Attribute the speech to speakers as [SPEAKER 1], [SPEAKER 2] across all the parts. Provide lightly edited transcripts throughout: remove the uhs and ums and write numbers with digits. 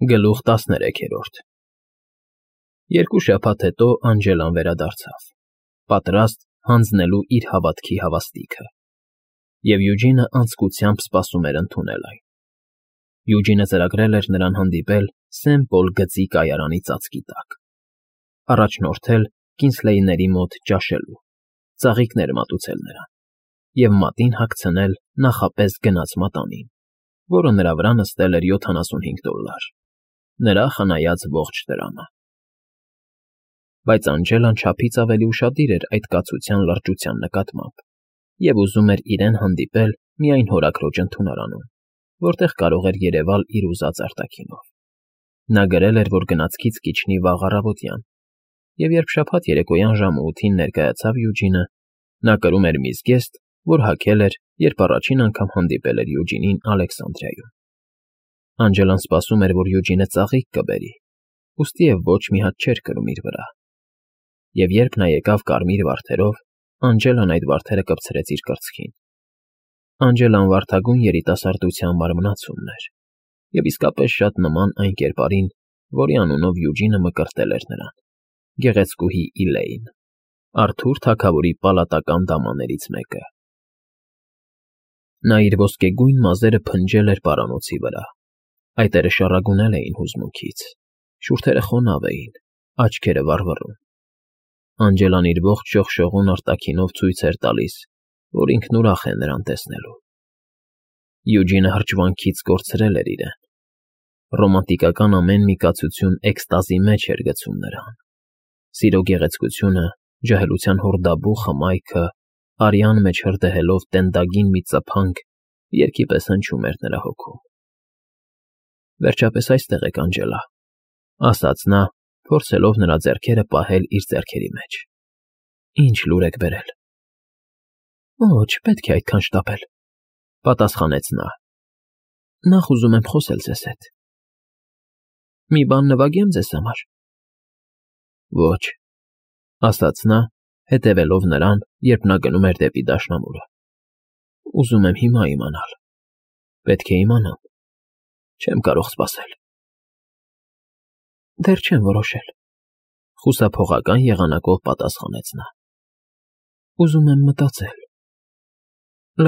[SPEAKER 1] Գլուխ 13 Երկու շաբաթ հետո Անջելան վերադարձավ, պատրաստ հանձնելու իր հավատքի հավաստիքը, և Յուջինը անձկությամբ սպասում էր ընդունել այն։ Յուջինը ծրագրել էր նրան հանդիպել Սեն Պոլ գծի կայարանի ծածկի տակ, առաջնորդել Կինսլեյների մոտ ճաշելու, ծաղիկներ մատուցել նրան և մատին հագցնել նախապես գնած մատանին, որը նրա վրա նստել էր $75, նրա խնայած ողջ տրամը։ Բայց Անջելան չափից ավելի ուշադիր էր այդ կացության լրջության նկատմամբ և ուզում էր իրեն հանդիպել միայն հորաքրոջ ընդունարանում, որտեղ կարող էր երևալ իր ուզած արտաքինով։ Նա գրել էր, որ գնացքից կիջնի վաղ առավոտյան, և երբ շաբաթ երեկոյան ժամը 8-ին ներկայացավ Յուջինը, նա կրում էր մի զգեստ, որ հագել էր, երբ առաջին անգամ հանդիպել էր Յուջինին Ալեքսանդրիայում։ Անջելան սպասում էր, որ Յուջինը ծաղիկ կբերի, ուստիև ոչ մի հատ չէր կրում իր վրա։ Եվ երբ նա եկավ կարմիր վարդերով, Անջելան այդ վարդերը կպցրեց իր կրծքին։ Անջելան վարդագույն երիտասարդության մարմնացումն էր, և իսկապես շատ նման այն կերպարին, որի անունով Յուջինը մկրտել էր նրան՝ գեղեցկուհի Իլեյն, Արթուր թագավորի պալատական դամաներից մեկը։ Նա իր ոսկեգույն մազերը փնջել էր պարանոցի վրա, այտերը շառագունել էին հուզմունքից, շուրթերը խոնավ էին, աչքերը վառվռուն։ Անջելան իր ողջ շողշողուն արտաքինով ցույց էր տալիս, որ ինքն ուրախ է նրան տեսնելու։ Յուջինը հրճվանքից կորցրել էր իրեն։ Ռոմանտիկական ամեն մի կացություն էքստազի մեջ էր գցում նրան։ Սիրո գեղեցկությունը, ջահելության հորդաբու խմայքը, արյան մեջ հրդեհելով տենդագին մի ծփանք երգի պես հնչում էր նրա հոգում։ Վերջապես այստեղ եք, Անջելա, ասաց նա, փորձելով նրա ձեռքերը պահել իր ձեռքերի մեջ։ Ինչ լուր եք բերել։ Ոչ, չպետք է այդքան շտապել, պատասխանեց նա։ Նախ ուզում եմ խոսել ձեզ հետ։ Մի բան նվագեմ ձեզ համար։ Ոչ, ասաց նա, հետևելով նրան, երբ նա գնում էր դեպի դաշնամուրը։ Ուզում եմ հիմա իմանալ։ Պետք է իմանամ։ Չեմ կարող սպասել։ Դեռ չեմ որոշել, խուսափողական եղանակով պատասխանեց նա։ Ուզում եմ մտածել։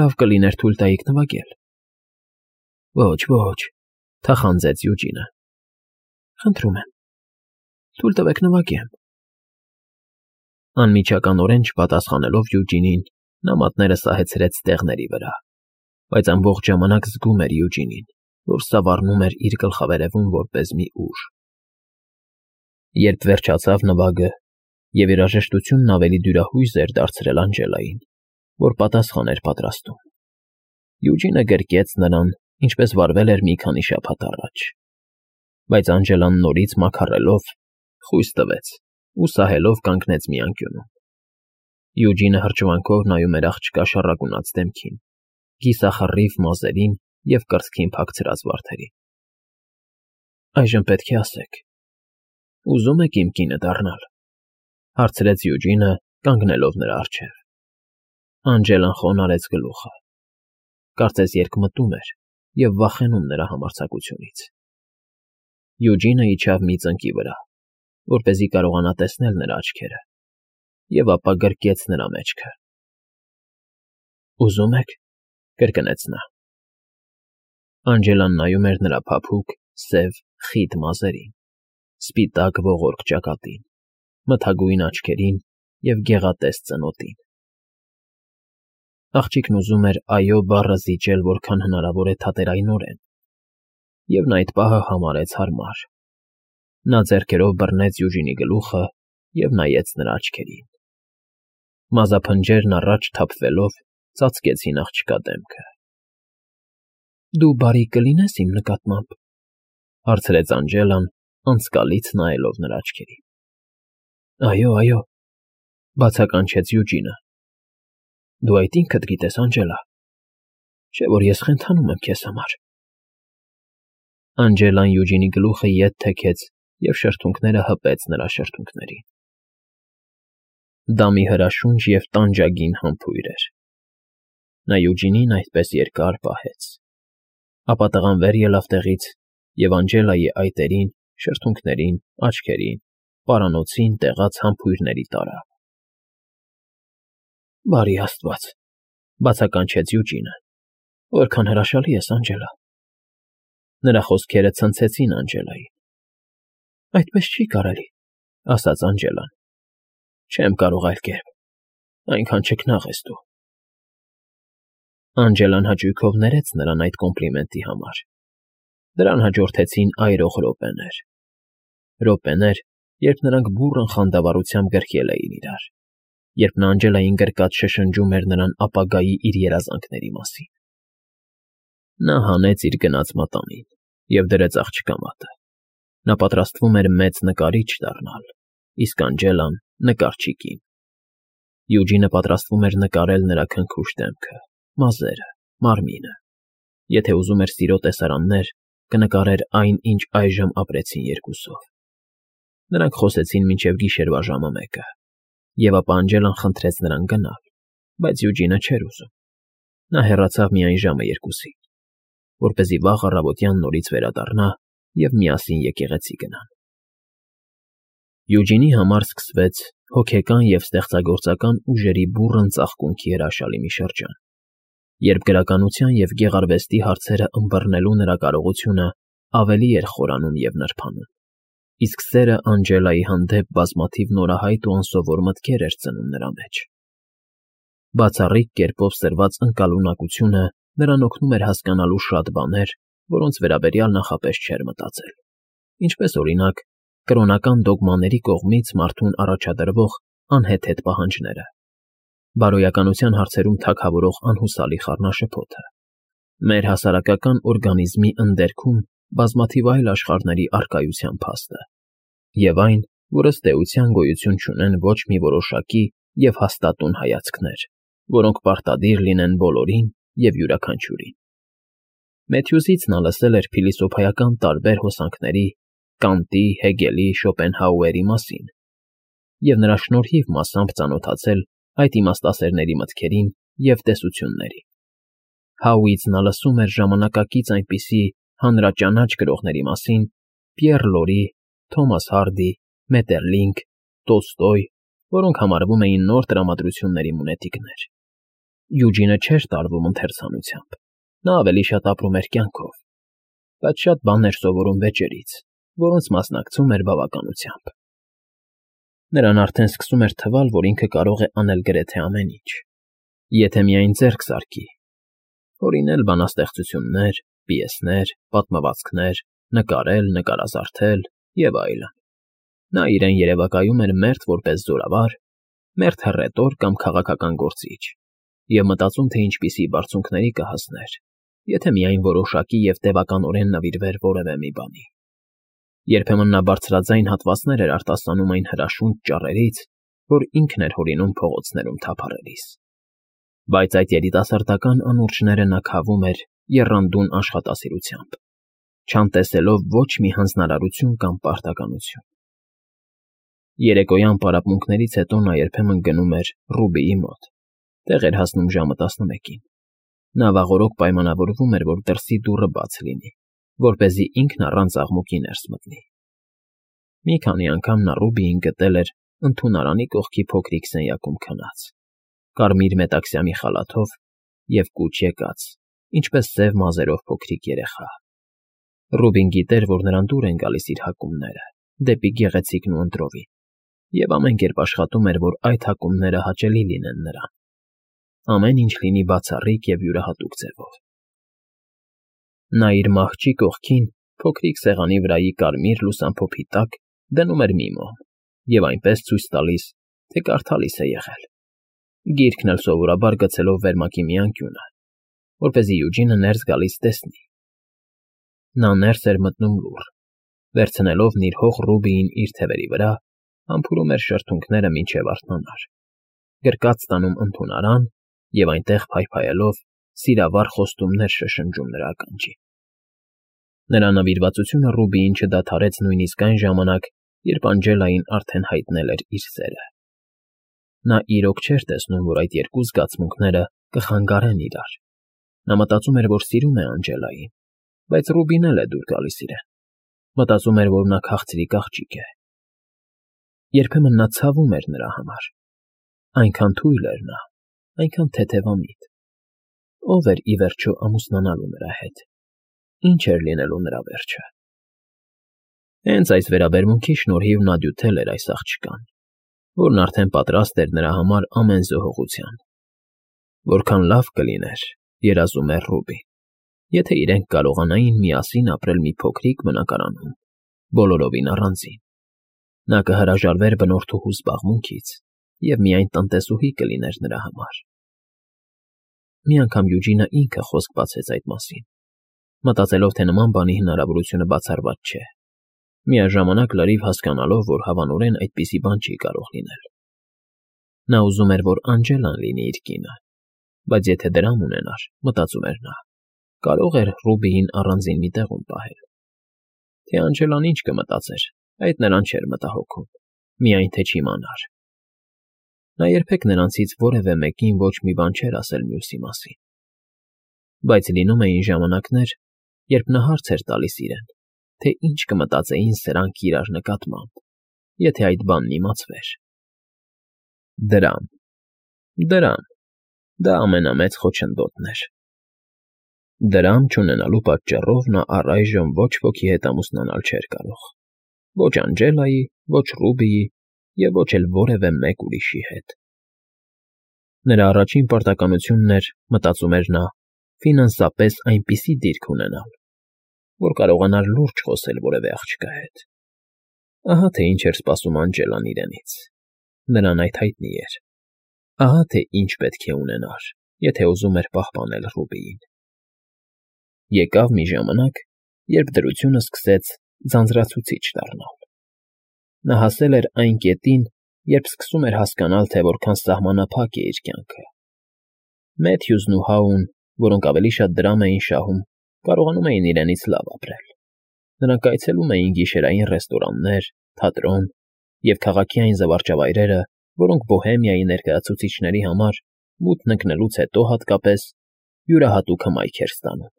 [SPEAKER 1] Լավ կլիներ թույլ տայիք նվագել։ Ոչ, ոչ, թախանձեց Յուջինը։ Խնդրում եմ, թույլ տվեք նվագեմ։ Անմիջականորեն չպատասխանելով Յուջինին, նա մատները սահեցրեց ստեղների վրա, բայց ամբողջ ժամանակ զգում էր Յուջինին, որ սավառնում էր իր գլխավերևում որպես մի ուժ։ Երբ վերջացավ նվագը, և երաժշտությունն ավելի դյուրահույզ էր դարձրել Անջելային, որ պատասխան էր պատրաստում, Յուջինը գրկեց նրան, ինչպես վարվել էր մի քանի շաբաթ առաջ։ Բայց Անջելան նորից մաքարելով, խույս տվեց ու սահելով կանգնեց մի անկյունում։ Յուջինը հրճվանքով նայում էր աղջկա շառագունած դեմքին, կիսախռիվ մազերին և կրծքին փակցրած վարդերին։ Այժմ պետք է ասեք. ուզո՞ւմ եք իմ կինը դառնալ, հարցրեց Յուջինը, կանգնելով նրա առջև։ Անջելան խոնարհեց գլուխը։ Կարծես երկմտում էր և վախենում նրա համարձակությունից։ Յուջինը իջավ մի ծնկի վրա, որպեսզի կարողանա տեսնել նրա աչքերը, և ապա գրկեց նրա մեջքը։ Ուզո՞ւմ եք, կրկնեց նա։ Անջելան նայում էր նրա փափուկ, սև, խիտ մազերին, սպիտակ ողորկ ճակատին, մթագույն աչքերին և գեղատես ծնոտին։ Աղջիկն ուզում էր այո բառը զիջել որքան հնարավոր է թատերայնորեն, և նա այդ պահը համարեց հարմար։ Նա ձեռքերով բռնեց Յուջինի գլուխը և նայեց նրա աչքերին։ Մազափնջերն առաջ թափվելով ծածկեցին աղջկա դեմքը։ Դու բարի կլինե՞ս իմ նկատմամբ, հարցրեց Անջելան, անցկալից նայելով նրա աչքերին։ Այո, այո, բացականչեց Յուջինը։ Դու այդ ինքդ գիտես, Անջելա, չէ՞ որ ես խենթանում եմ քեզ համար։ Անջելան Յուջինի գլուխը ետ թեքեց և շրթունքները հպեց նրա շրթունքներին։ Դա մի հրաշունչ և տանջագին համբույր էր։ Նա Յուջինին այդպես երկար պահեց։ Ապա տղան վեր ելավ տեղից և Անջելայի այտերին, շրթունքներին, աչքերին, պարանոցին տեղած համբույրների տարավ։ Բարի Աստված, բացականչեց Յուջինը, որքան հրաշալի ես, Անջելա։ Նրա խոսքերը ցնցեցին Անջելային։ Այդպես չի կարելի, ասաց Անջելան։ Չեմ կարող այլ կերպ, այնքան չքնաղ ես դու։ Անջելան հաճույքով ներեց նրան այդ կոմպլիմենտի համար։ Դրան հաջորդեցին այրող րոպեներ։ Րոպեներ, երբ նրանք բուռն խանդավառությամբ գրկել էին իրար, երբ նա Անջելային գրկած շշնջում էր նրան ապագայի իր երազանքների մասին։ Նա հանեց իր գնած մատանին և դրեց աղջկա մատը։ Նա պատրաստվում էր մեծ նկարիչ դառնալ, իսկ Անջելան՝ նկարչի կին։ Յուջինը պատրաստվում էր նկարել նրա քնքուշ դեմքը, մազերը, մարմինը։ Եթե ուզում էր սիրո տեսարաններ, կնկարեր այն, ինչ այժմ ապրեցին երկուսով։ Նրանք խոսեցին մինչև գիշերվա ժամը 1-ը, և ապա Անջելան խնդրեց նրան գնալ, բայց Յուջինը չէր ուզում։ Նա հեռացավ միայն ժամը 2-ին, որպեսզի վաղ առավոտյան նորից վերադառնա և միասին եկեղեցի գնան։ Յուջինի համար սկսվեց հոգեկան և ստեղծագործական ուժերի բուռն ծաղկունքի հրաշալի մի շրջան, երբ գրականության և գեղարվեստի հարցերը ըմբռնելու նրա կարողությունը ավելի էր խորանում և նրբանում, իսկ սերը Անջելայի հանդեպ բազմաթիվ նորահայտ ու անսովոր մտքեր էր ծնում նրա մեջ։ Բացառիկ կերպով սրված ընկալունակությունը նրան օգնում էր հասկանալու շատ բաներ, որոնց վերաբերյալ նախապես չէր մտածել, ինչպես, օրինակ, կրոնական դոգմաների կողմից մարդուն առաջադրվող անհեթեթ պահանջները, բարոյականության հարցերում թագավորող անհուսալի խառնաշփոթը, մեր հասարակական օրգանիզմի ընդերքում բազմաթիվ այլ աշխարհների առկայության փաստը, և այն, որ ըստ էության գոյություն չունեն ոչ մի որոշակի և հաստատուն հայացքներ, որոնք պարտադիր լինեն բոլորին և յուրաքանչյուրին։ Մեթյուզից նա լսել էր փիլիսոփայական տարբեր հոսանքների Կանտի, Հեգելի, Շոպենհաուերի մասին և նրա շնորհիվ մասամբ ծանոթացել այդ իմաստասերների մտքերին և տեսություններին։ Հաուից նա լսում էր ժամանակակից այնպիսի հանրաճանաչ գրողների մասին Պիեռ Լորի, Թոմաս Հարդի, Մետերլինք, Տոլստոյ, որոնք համարվում էին նոր տրամադրությունների մունետիկներ։ Յուջինը չէր տարվում ընթերցանությամբ, նա ավելի շատ ապրում էր կյանքով, բայց շատ բաներ սովորում վեճերից, որոնց մասնակցում էր բավականությամբ։ Նրան արդեն սկսում էր թվալ, որ ինքը կարող է անել գրեթե ամեն ինչ, եթե միայն ձեռք զարկի, հորինել բանաստեղծություններ, պիեսներ, պատմվածքներ, նկարել, նկարազարդել և այլն։ Նա իրեն երևակայում էր մերթ որպես զորավար, մերթ հռետոր կամ քաղաքական գործիչ, և մտածում, թե ինչպիսի բարձունքների կհասներ, եթե միայն որոշակի և տևականորեն նվիրվեր որևէ մի բանի։ Երբեմն նա բարձրաձայն հատվածներ էր արտասանում այն հրաշունչ ճառերից, որ ինքն էր հորինում փողոցներում թափառելիս։ Բայց այդ երիտասարդական անուրջները նա քավում էր եռանդուն աշխատասիրությամբ, չանտեսելով ոչ մի հանձնարարություն կամ պարտականություն։ Երեկոյան պարապմունքներից հետո նա երբեմն գնում էր Ռուբիի մոտ, տեղ էր հասնում ժամը 11-ին։ Նա վաղօրոք պայմանավորվում էր, որ դրսի դուռը բաց լինի, որպեսզի ինքն առանց աղմուկի ներս մտնի։ Մի քանի անգամ նա Ռուբիին գտել էր ընդունարանի կողքի փոքրիկ սենյակում քնած, կարմիր մետաքսյամի խալաթով և կուչ եկած, ինչպես սև մազերով փոքրիկ երեխա։ Ռուբին գիտեր, որ նրան դուր են գալիս իր հակումները դեպի գեղեցիկն ու ընտրովին, և ամեն կերպ աշխատում էր, որ այդ հակումները հաճելի լինեն նրան, ամեն ինչ լինի բացառիկ և յուրահատուկ ձևով։ Նա իր մահճի կողքին փոքրիկ սեղանի վրայի կարմիր լուսամփոփի տակ դնում էր մի մոմ և այնպես ցույց տալիս, թե կարդալիս է եղել, գիրքն էլ սովորաբար գցելով վերմակի մի անկյունը, որպեսզի Յուջինը ներս գալիս տեսնի։ Նա ներս էր մտնում լուռ, վերցնելով նիրհող Ռուբիին իր թևերի վրա, համբուրում էր շրթունքները մինչև արթնանար, գրկած տանում ընդունարան և այնտեղ փայփայելով սիրավառ խոստումներ շշնջում նրա ականջին։ Նրա նվիրվածությունը Ռուբիին չդադարեց նույնիսկ այն ժամանակ, երբ Անջելային արդեն հայտնել էր իր սերը։ Նա իրոք չէր տեսնում, որ այդ երկու զգացմունքները կխանգարեն իրար։ Նա մտածում էր, որ սիրում է Անջելային, բայց Ռուբին էլ է դուր գալիս իրեն։ Մտածում էր, որ նա քաղցրիկ աղջիկ է։ Երբեմն նա ցավում էր նրա համար։ Այնքան թույլ էր նա, այնքան թեթևամիտ։ Ո՞վ էր ի վերջո ամուսնանալու նրա հետ։ Ինչ էր լինելու նրա վերջը։ Հենց այս վերաբերմունքի շնորհիվ նա դյութել էր այս աղջկան, որն արդեն պատրաստ էր նրա համար ամեն զոհողության։ Որքան լավ կլիներ, երազում էր Ռուբին, եթե իրենք կարողանային միասին ապրել մի փոքրիկ բնակարանում, բոլորովին առանձին։ Նա կհրաժարվեր բնորդուհու զբաղմունքից և միայն տնտեսուհի կլիներ նրա համար։ Մի անգամ Յուջինը ինքը խոսք բացեց այդ մասին, մտածելով, թե նման բանի հնարավորությունը բացառված չէ, միաժամանակ լրիվ հասկանալով, որ հավանորեն այդպիսի բան չի կարող լինել։ Նա ուզում էր, որ Անջելան լինի իր կինը, բայց եթե դրամ ունենար, մտածում էր նա, կարող էր Ռուբիին առանձին մի տեղում պահել։ Թե Անջելան ինչ կմտածեր, այդ նրան չէր մտահոգում, միայն թե չիմանար։ Նա երբեք նրանցից որևէ մեկին ոչ մի բան չէր ասել մյուսի մասին։ Բայց լինում էին ժամանակներ, երբ նա հարց էր տալիս իրեն, թե ինչ կմտածեին սրանք իրար նկատմամբ, եթե այդ բանն իմացվեր։ Դրամ, դա ամենամեծ խոչընդոտն էր։ Դրամ չունենալու պատճառով նա առայժմ ոչ ոքի հետ ամուսնանալ չէր կարող։ Ոչ Անջելայի, ոչ Ռուբիի և ոչ էլ որևէ մեկ ուրիշի հետ։ Նրա առաջին պարտականությունն էր, մտածում էր նա, ֆինանսապես այնպիսի դիրք ունենալ, որ կարողանար լուրջ խոսել որևէ աղջկա հետ։ Ահա թե ինչ էր սպասում Անջելան իրենից։ Նրան այդ հայտնի էր։ Ահա թե ինչ պետք է ունենար, եթե ուզում էր պահպանել Ռուբիին։ Եկավ մի ժամանակ, երբ դրությունը սկսեց ձանձրացուցիչ դառնալ։ Նա հասել էր այն կետին, երբ սկսում էր հասկանալ, թե որքան սահմանափակ է իր կյանքը։ Մեթյուզն ու Հաուն, որոնք ավելի շատ դրամ էին շահում, կարողանում էին իրենից լավ ապրել։ Նրանք այցելում էին գիշերային ռեստորաններ, թատրոն և քաղաքի այն զվարճավայրերը, որոնք Բոհեմիայի ներկայացուցիչների համար, մութն ընկնելուց հետո հատկապես, յուրահատուկ հմայք էր ստանում։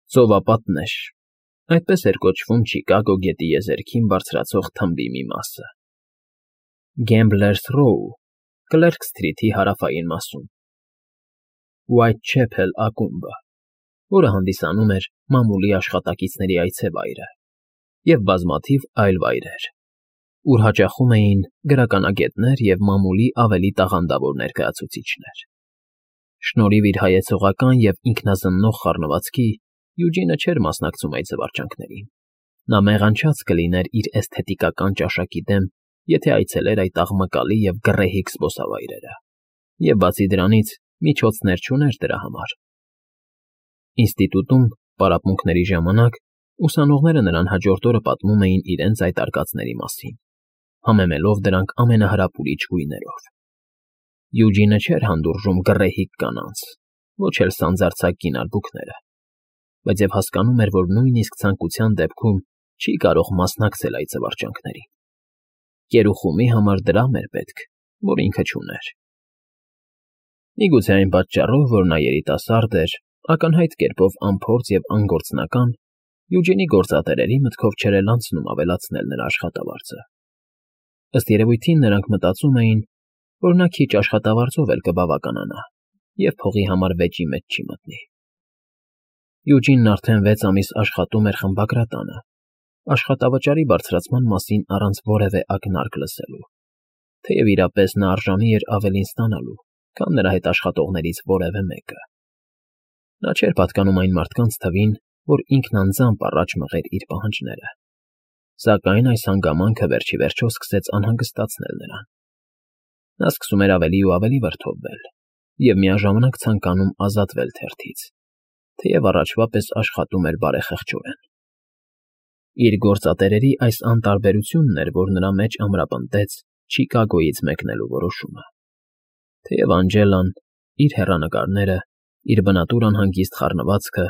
[SPEAKER 1] Ծովապատն էր, այդպես էր կոչվում Չիկագո գետի եզերքին բարձրացող թմբի մի մասը։ Գեմբլերս Ռոու, Կլերք Սթրիթի հարավային մասում։ Ուայթչեփել ակումբը, որը հանդիսանում էր մամուլի աշխատակիցների այցեվայրը, և բազմաթիվ այլ վայրեր, ուր հաճախում էին գրականագետներ և մամուլի ավելի տաղանդավոր ներկայացուցիչներ։ Շնորհիվ իր հայեցողական և ինքնազննող խառնվածքի Յուջինը չէր մասնակցում այդ զվարճանքներին։ Նա մեղանչած կլիներ իր էսթետիկական ճաշակի դեմ, եթե այցելեր այդ աղմկալի և գռեհիկ զբոսավայրերը, և բացի դրանից միջոցներ չուներ դրա համար։ Ինստիտուտում պարապմունքների ժամանակ ուսանողները նրան հաջորդ օրը պատմում էին իրենց այդ արկածների մասին, համեմելով դրանք ամենահրապուրիչ գույներով։ Յուջինը չէր հանդուրժում գռեհիկ կանանց, ոչ էլ սանձարձակ կինալբուկները, բայց և հասկանում էր, որ նույնիսկ ցանկության դեպքում չի կարող մասնակցել այդ զվարճանքներին։ Կերուխումի համար դրամ էր պետք, որ ինքը չուներ։ Միգուցե այն պատճառով, որ նա երիտասարդ էր, ակնհայտ կերպով անփորձ և անգործնական, Յուջինի գործատերերի մտքով չէր էլ անցնում ավելացնել նրա աշխատավարձը։ Ըստ երևույթին նրանք մտածում էին, որ նա քիչ աշխատավարձով էլ կբավականանա և փողի համար վեճի մեջ չի մտնի։ Յուջինն արդեն 6 ամիս աշխատում էր խմբագրատանը, աշխատավճարի բարձրացման մասին առանց որևէ ակնարկ լսելու, թեև իրապես նա արժանի էր ավելին ստանալու, քան նրա հետ աշխատողներից որևէ մեկը։ Նա չէր պատկանում այն մարդկանց թվին, որ ինքն անձամբ առաջ մղեր իր պահանջները, սակայն այս հանգամանքը վերջիվերջո սկսեց անհանգստացնել նրան։ Նա սկսում էր ավելի ու ավելի վրդովվել և միաժամանակ ցանկանում ազատվել թերթից, թեև առաջվա պես աշխատում էր բարեխեղճորեն։ Իր գործատերերի այս անտարբերությունն էր, որ նրա մեջ ամրապնդեց Չիկագոյից մեկնելու որոշումը։ Թեև Անջելան, իր հեռանկարները, իր բնատուր անհանգիստ խառնվածքը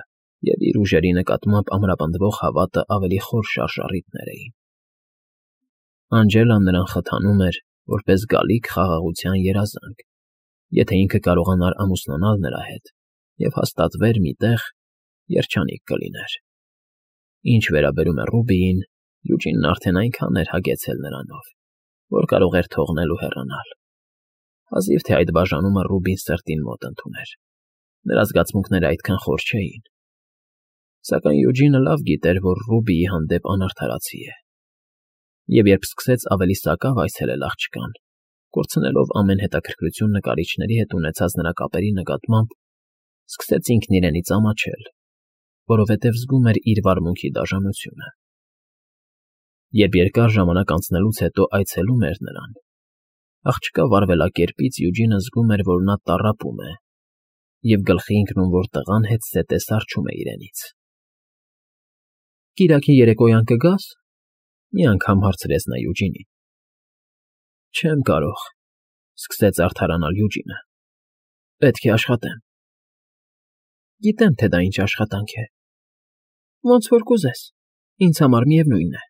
[SPEAKER 1] և իր ուժերի նկատմամբ ամրապնդվող հավատը ավելի խոր շարժառիթներ էին։ Անջելան նրան խթանում էր, որպես գալիք խաղաղության երազանք, եթե ինքը կարողանար ամուսնանալ նրա հետ և հաստատվեր մի տեղ, երջանիկ կլիներ։ Ինչ վերաբերում է Ռուբիին, Յուջինն արդեն այնքան էր հագեցել նրանով, որ կարող էր թողնել ու հեռանալ։ Հազիվ թե այդ բաժանումը Ռուբին սրտին մոտ ընդուներ։ Նրա զգացմունքները այդքան խոր չէին։ Սակայն Յուջինը լավ գիտեր, որ Ռուբիի հանդեպ անարդարացի է։ Եվ երբ սկսեց ավելի սակավ այցելել աղջկան, կորցնելով ամեն հետաքրքրություն նկարիչների հետ ունեցած նրա կապերի նկատմամբ, սկսեց ինքն իրենից ամաչել, որովհետև զգում էր իր վարմունքի դաժանությունը։ Երբ երկար ժամանակ անցնելուց հետո այցելում էր նրան, աղջկա վարվելակերպից Յուջինը զգում էր, որ նա տառապում է, և գլխի ընկնում, որ տղան հետզհետե սառչում է իրենից։ «Կիրակի երեկոյան կգա՞ս», մի անգամ հարցրեց նա Յուջինին։ «Չեմ կարող», սկսեց արդարանալ Յուջինը։ «Պետք է աշխատեմ»։ «Գիտեմ, թե դա ինչ աշխատանք է։ Ոնց որ կուզես, ինձ համար միևնույն է»։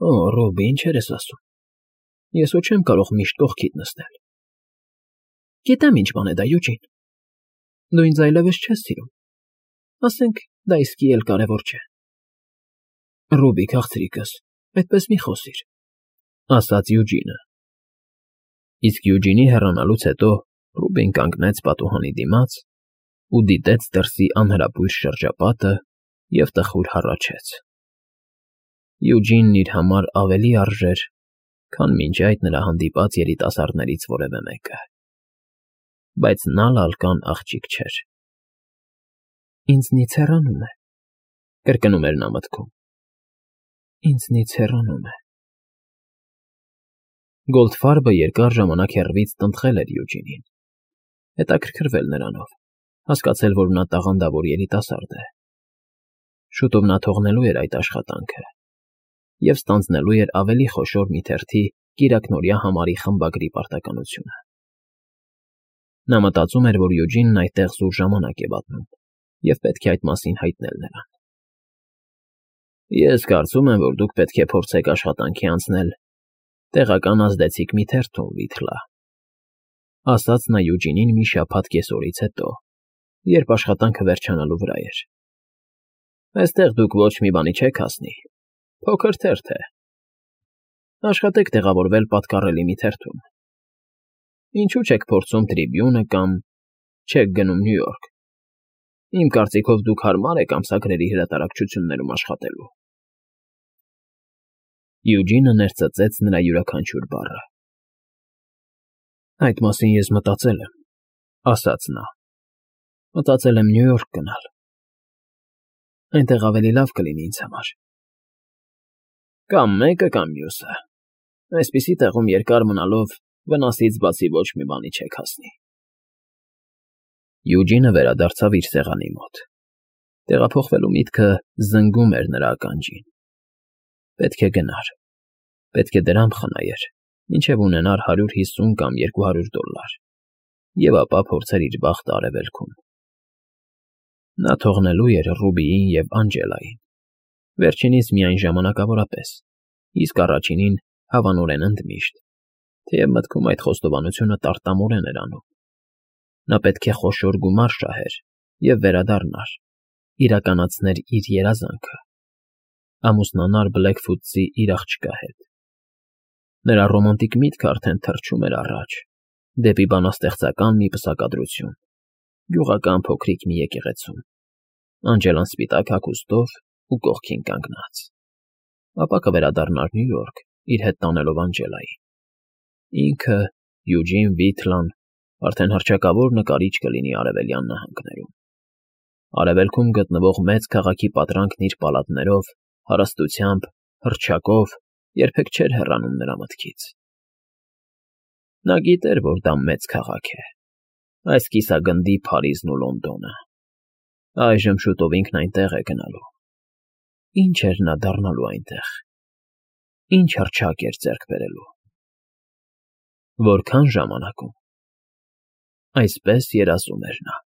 [SPEAKER 1] «Օ, Ռուբի, ինչեր ես ասում։ Ես ու չեմ կարող միշտ կողքիդ նստել»։ «Գիտեմ ինչ բան է դա, Յուջին։ Դու ինձ այլևս չես սիրում։ Ասենք, դա իսկի էլ կարևոր չէ»։ «Ռուբի, քաղցրիկս, այդպես մի խոսիր», ասաց Յուջինը։ Իսկ Յուջինի հեռանալուց հետո Ռուբին կանգնեց պատուհանի դիմաց ու դիտեց դրսի անհրապույր շրջապատը և տխուր հառաչեց։ Յուջինն իր համար ավելի արժեր, քան մինչ այդ նրա հանդիպած երիտասարդներից որևէ մեկը։ Բայց նա լալկան աղջիկ չէր։ «Ինձնից հեռանում է», կրկնում էր նա մտքում։ «Ինձնից հեռանում է»։ Գոլդֆարբը երկար ժամանակ հեռվից տնտղել էր Յուջինին, հետաքրքրվել նրանով, հասկացել, որ նա տաղանդավոր երիտասարդ է։ Շուտով նա թողնելու էր այդ աշխատանքը և ստանձնելու էր ավելի խոշոր մի թերթի կիրակնօրյա համարի խմբագրի պարտականությունը։ Նա մտածում էր, որ Յուջինն այդտեղ զուր ժամանակ է վատնում և պետք է այդ մասին հայտնել նրան։ «Ես կարծում եմ, որ դուք պետք է փորձեք աշխատանքի անցնել տեղական ազդեցիկ մի թերթում, Վիթլա», ասաց նա Յուջինին մի շաբաթ կեսօրից հետո, երբ աշխատանքը վերջանալու վրա էր։ «Այստեղ դուք ոչ մի բանի չեք հասնի, փոքր թերթ է։ Աշխատեք տեղավորվել պատկառելի մի թերթում։ Ինչու չեք փորձում Տրիբյունը կամ չեք գնում Նյու Յորք։ Իմ կարծիքով դուք հարմար եք ամսագրերի հրատարակչություններում աշխատելու»։ Յուջինը ներծծեց նրա յուրաքանչյուր բառը։ «Այդ մասին ես մտածել եմ», ասաց նա։ «Մտածել եմ Նյու Յորք գնալ։ Այնտեղ ավելի լավ կլինի ինձ համար»։ «Կամ մեկը, կամ մյուսը։ Այսպիսի տեղում երկար մնալով վնասից բացի ոչ մի բանի չեք հասնի»։ Յուջինը վերադարձավ իր սեղանի մոտ։ Տեղափոխվելու միտքը զնգում էր նրա ականջին։ Պետք է գնար, պետք է դրամ խնայեր, մինչև ունենար 150 կամ $200, և ապա փորձեր իր բախտը արևելքում։ Նա թողնելու էր Ռուբիին և Անջելային, վերջինիս միայն ժամանակավորապես, իսկ առաջինին հավանորեն ընդմիշտ, թեև մտքում այդ խոստովանությունը տարտամորեն էր անում։ Նա պետք է խոշոր գումար շահեր և վերադառնար, իրականացներ իր երազանքը, ամուսնանար Բլեքֆուտսի իր աղջկա հետ։ Նրա ռոմանտիկ միտքը արդեն թռչում էր առաջ, դեպի բանաստեղծական մի պսակադրություն, գյուղական փոքրիկ մի եկեղեցում, Անջելան սպիտակ հագուստով ու կողքին կանգնած։ Ապա կվերադառնար Նյու Յորք, իր հետ տանելով Անջելային։ Ինքը, Յուջին Վիթլան, արդեն հռչակավոր նկարիչ կլինի Արևելյան նահանգներում։ Արևելքում գտնվող մեծ քաղաքի պատրանքն իր պալատներով, հարստությամբ, հռչակով երբեք չէր հեռանում նրա մտքից։ Նա գիտեր, որ դա մեծ քաղաք է, այս կիսագնդի Փարիզն ու Լոնդոնը։ Այժմ շուտով ինքն այնտեղ է գնալու։ Ինչ էր նա դառնալու այնտեղ։ Ինչ հռչակ էր ձեռք բերելու։ Որքան ժամանակում։ Այսպես երազում էր նա։